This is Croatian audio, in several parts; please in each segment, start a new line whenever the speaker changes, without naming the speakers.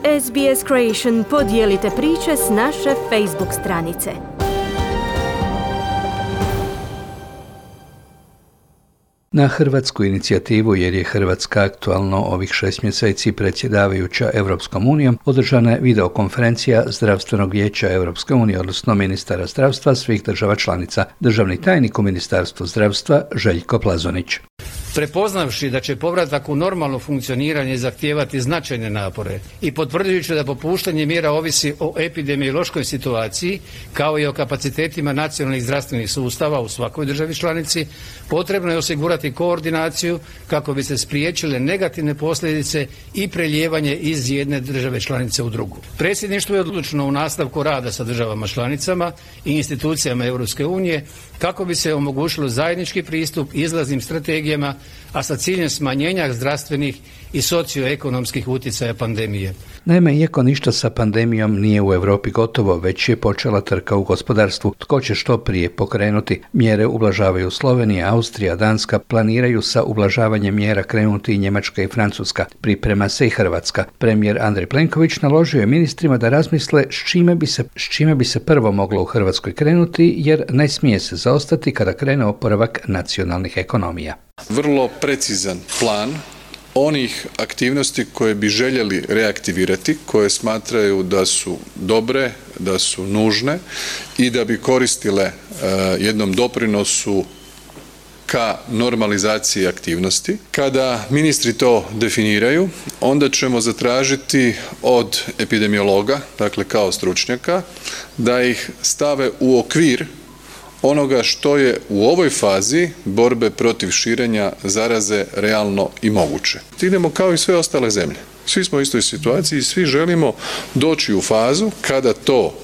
SBS Creation podijelite priče s naše Facebook stranice.
Na hrvatsku inicijativu, jer je Hrvatska aktualno ovih 6 mjeseci predsjedavajuća Europskom unijom, održana je videokonferencija Zdravstvenog vijeća Europske unije, odnosno ministara zdravstva svih država članica. Državni tajnik u Ministarstvu zdravstva Željko Plazonić.
Prepoznavši da će povratak u normalno funkcioniranje zahtijevati značajne napore i potvrđujući da popuštanje mjera ovisi o epidemiološkoj situaciji kao i o kapacitetima nacionalnih zdravstvenih sustava u svakoj državi članici, potrebno je osigurati koordinaciju kako bi se spriječile negativne posljedice i prelijevanje iz jedne države članice u drugu. Predsjedništvo je odlučno u nastavku rada sa državama članicama i institucijama Europske unije kako bi se omogućilo zajednički pristup izlaznim strategijama, a sa ciljem smanjenja zdravstvenih i socioekonomskih utjecaja pandemije.
Naime, iako ništa sa pandemijom nije u Europi gotovo, već je počela trka u gospodarstvu. Tko će što prije pokrenuti? Mjere ublažavaju Slovenija, Austrija, Danska, planiraju sa ublažavanjem mjera krenuti i Njemačka i Francuska. Priprema se i Hrvatska. Premijer Andrej Plenković naložio je ministrima da razmisle s čime bi se prvo moglo u Hrvatskoj krenuti, jer ne smije se zaostati kada krene oporavak nacionalnih ekonomija.
Vrlo precizan plan onih aktivnosti koje bi željeli reaktivirati, koje smatraju da su dobre, da su nužne i da bi koristile jednom doprinosu ka normalizaciji aktivnosti. Kada ministri to definiraju, onda ćemo zatražiti od epidemiologa, dakle kao stručnjaka, da ih stave u okvir onoga što je u ovoj fazi borbe protiv širenja zaraze realno i moguće. Idemo kao i sve ostale zemlje. Svi smo u istoj situaciji i svi želimo doći u fazu kada to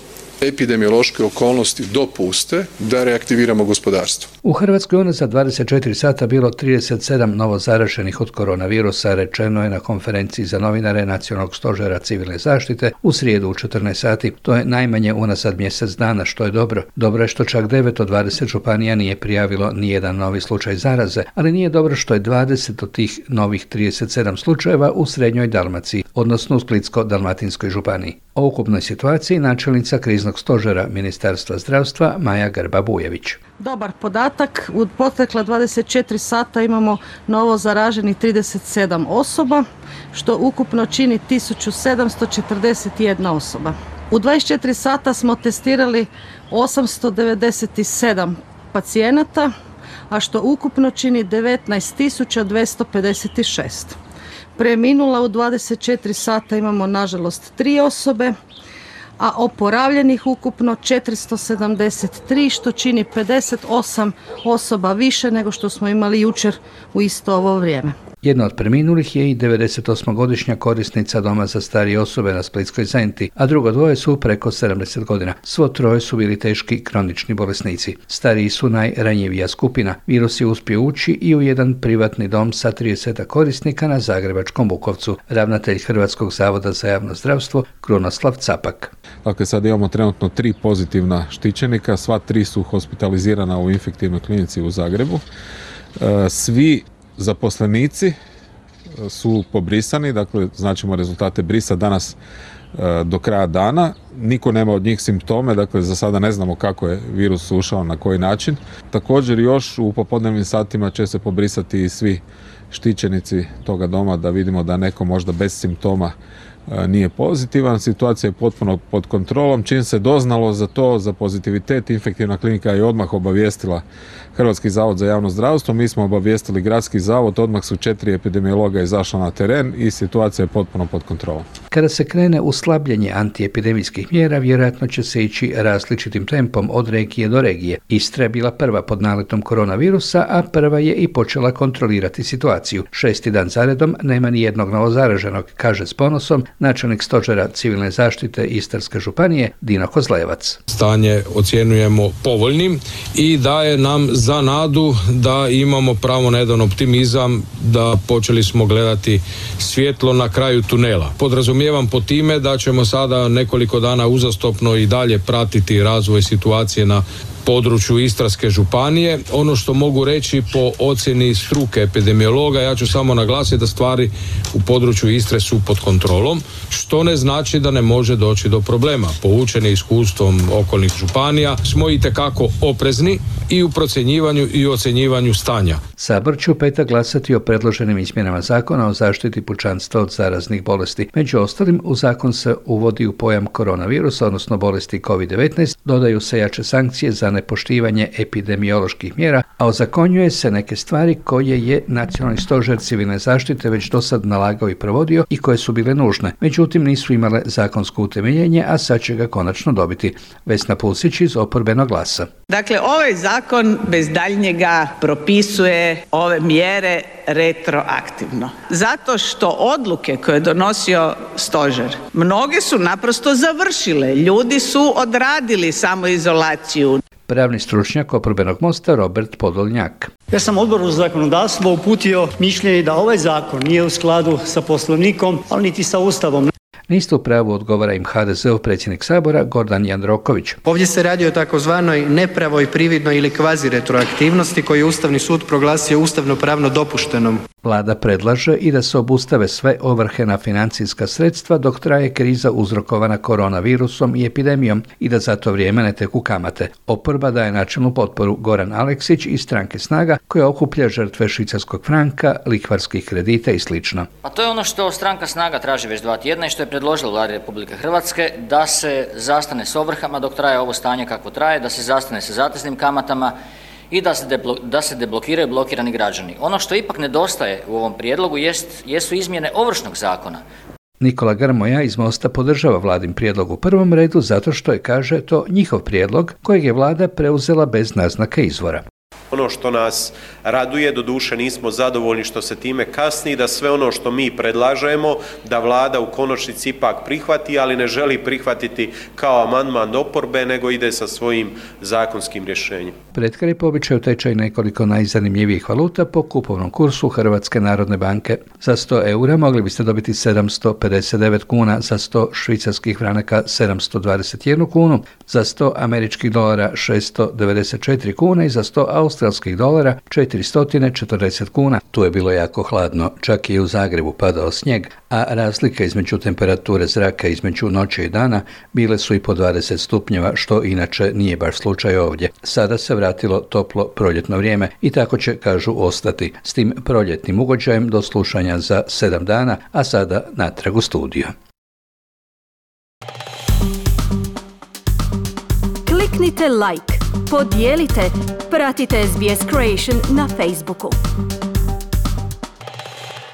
epidemiološke okolnosti dopuste da reaktiviramo gospodarstvo.
U Hrvatskoj unazad 24 sata bilo 37 novo zaraženih od koronavirusa, rečeno je na konferenciji za novinare Nacionalnog stožera civilne zaštite u srijedu u 14 sati. To je najmanje unazad mjesec dana, što je dobro. Dobro je što čak 9 od 20 županija nije prijavilo nijedan novi slučaj zaraze, ali nije dobro što je 20 od tih novih 37 slučajeva u Srednjoj Dalmaciji, odnosno u Splitsko-dalmatinskoj županiji. O ukupnoj situaciji načelnica kriznog stožera Ministarstva zdravstva Maja Grba-Bujević.
Dobar podatak, u protekla 24 sata imamo novo zaraženih 37 osoba, što ukupno čini 1741 osoba. U 24 sata smo testirali 897 pacijenata, a što ukupno čini 19.256. Preminula u 24 sata imamo nažalost 3 osobe, a oporavljenih ukupno 473, što čini 58 osoba više nego što smo imali jučer u isto ovo vrijeme.
Jedna od preminulih je i 98-godišnja korisnica doma za starije osobe na Splitskoj Zenti, a drugo dvoje su preko 70 godina. Svo troje su bili teški kronični bolesnici. Stariji su najranjivija skupina. Virus je uspio ući i u jedan privatni dom sa 30 korisnika na zagrebačkom Bukovcu. Ravnatelj Hrvatskog zavoda za javno zdravstvo Krunoslav Capak.
Dakle, sad imamo trenutno 3 pozitivna štićenika, sva 3 su hospitalizirana u infektivnoj klinici u Zagrebu. Svi zaposlenici su pobrisani, dakle značimo rezultate brisa danas do kraja dana. Niko nema od njih simptome, dakle za sada ne znamo kako je virus ušao, na koji način. Također još u popodnevnim satima će se pobrisati i svi štićenici toga doma da vidimo da neko možda bez simptoma nije pozitivan. Situacija je potpuno pod kontrolom. Čim se doznalo za to, za pozitivitet, infektivna klinika je odmah obavijestila Hrvatski zavod za javno zdravstvo. Mi smo obavijestili Gradski zavod, odmah su 4 epidemiologa izašla na teren i situacija je potpuno pod kontrolom.
Kada se krene u slabljenje antiepidemijskih mjera, vjerojatno će se ići različitim tempom od regije do regije. Istra je bila prva pod naletom koronavirusa, a prva je i počela kontrolirati situaciju. 6. dan zaredom nema ni jednog novozaraženog, kaže s ponosom načelnik stožera civilne zaštite Istarske županije Dino Kozlevac.
Stanje ocjenjujemo povoljnim i daje nam za nadu da imamo pravo na jedan optimizam, da počeli smo gledati svjetlo na kraju tunela. Podrazumijevam po time da ćemo sada nekoliko dana uzastopno i dalje pratiti razvoj situacije na području Istarske županije. Ono što mogu reći po ocjeni struke epidemiologa, ja ću samo naglasiti da stvari u području Istre su pod kontrolom, što ne znači da ne može doći do problema. Poučeni iskustvom okolnih županija smo itekako oprezni i u procjenjivanju i ocjenjivanju stanja.
Sabor će u petak glasati o predloženim izmjenama zakona o zaštiti pučanstva od zaraznih bolesti. Među ostalim, u zakon se uvodi u pojam koronavirusa, odnosno bolesti COVID-19, dodaju se jače sankcije za nepoštivanje epidemioloških mjera, a ozakonjuje se neke stvari koje je Nacionalni stožer civilne zaštite već dosad nalagao i provodio i koje su bile nužne. Međutim, nisu imale zakonsko utemeljenje, a sad će ga konačno dobiti. Vesna Pulsić iz Oporbenog glasa.
Dakle, ovaj zakon bez daljnjega propisuje ove mjere retroaktivno. Zato što odluke koje je donosio stožer, mnoge su naprosto završile. Ljudi su odradili samoizolaciju.
Pravni stručnjak Oporbenog mosta Robert Podolnjak.
Ja sam Odboru za zakonodavstvo uputio mišljenje da ovaj zakon nije u skladu sa Poslovnikom, ali niti sa Ustavom.
Niste u pravu, odgovara im HDZ-ov predsjednik Sabora Gordan Jandroković.
Ovdje se radi o takozvanoj nepravoj, prividnoj ili kvazi retroaktivnosti koju je Ustavni sud proglasio ustavno-pravno dopuštenom.
Vlada predlaže i da se obustave sve ovrhe na financijska sredstva dok traje kriza uzrokovana koronavirusom i epidemijom i da za to vrijeme ne teku kamate. Oporba daje načelnu potporu. Goran Aleksić iz stranke Snaga koja okuplja žrtve švicarskog franka, lihvarskih kredita i sl.
A to je ono što stranka Snaga traži već 2 tjedna i što je predložila Vladi Republike Hrvatske, da se zastane s ovrhama dok traje ovo stanje kako traje, da se zastane sa zateznim kamatama i da se deblokiraju blokirani građani. Ono što ipak nedostaje u ovom prijedlogu jesu izmjene Ovršnog zakona.
Nikola Grmoja iz Mosta podržava Vladin prijedlog u prvom redu zato što je, kaže, to njihov prijedlog kojeg je Vlada preuzela bez naznake izvora.
Ono što nas raduje, doduše nismo zadovoljni što se time kasni, da sve ono što mi predlažemo, da Vlada u konačnici ipak prihvati, ali ne želi prihvatiti kao amandman oporbe, nego ide sa svojim zakonskim rješenjem.
Pred kraj po običaju tečaj nekoliko najzanimljivijih valuta po kupovnom kursu Hrvatske narodne banke. Za 100 eura mogli biste dobiti 759 kuna, za 100 švicarskih franaka 721 kunu, za 100 američkih dolara 694 kuna i za 100 australskih dolara 440 kuna. Tu je bilo jako hladno, čak i u Zagrebu padao snijeg, a razlika između temperature zraka između noći i dana bile su i po 20 stupnjeva, što inače nije baš slučaj ovdje. Sada se vratilo toplo proljetno vrijeme i tako će, kažu, ostati. S tim proljetnim ugođajem do slušanja za 7 dana, a sada natrag u studio.
Kliknite like, podijelite, pratite SBS Creation na Facebooku.